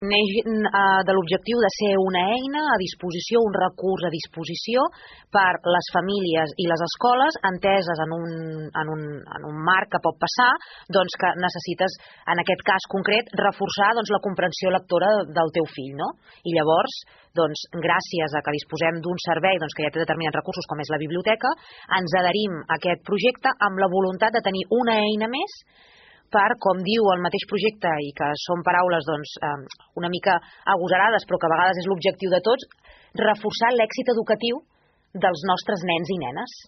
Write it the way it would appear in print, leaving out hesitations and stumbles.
neix de l'objectiu de ser una eina a disposició, un recurs a disposició per les famílies i les escoles enteses en un marc que pot passar, doncs que necessites, en aquest cas concret, reforçar la comprensió lectora del teu fill, no? I llavors, doncs, gràcies a que disposem d'un servei que ja té determinats recursos, com és la biblioteca, ens adherim a aquest projecte amb la voluntat de tenir una eina més per, com diu el mateix projecte, i que són paraules una mica agosarades, però que a vegades és l'objectiu de tots, reforçar l'èxit educatiu dels nostres nens i nenes.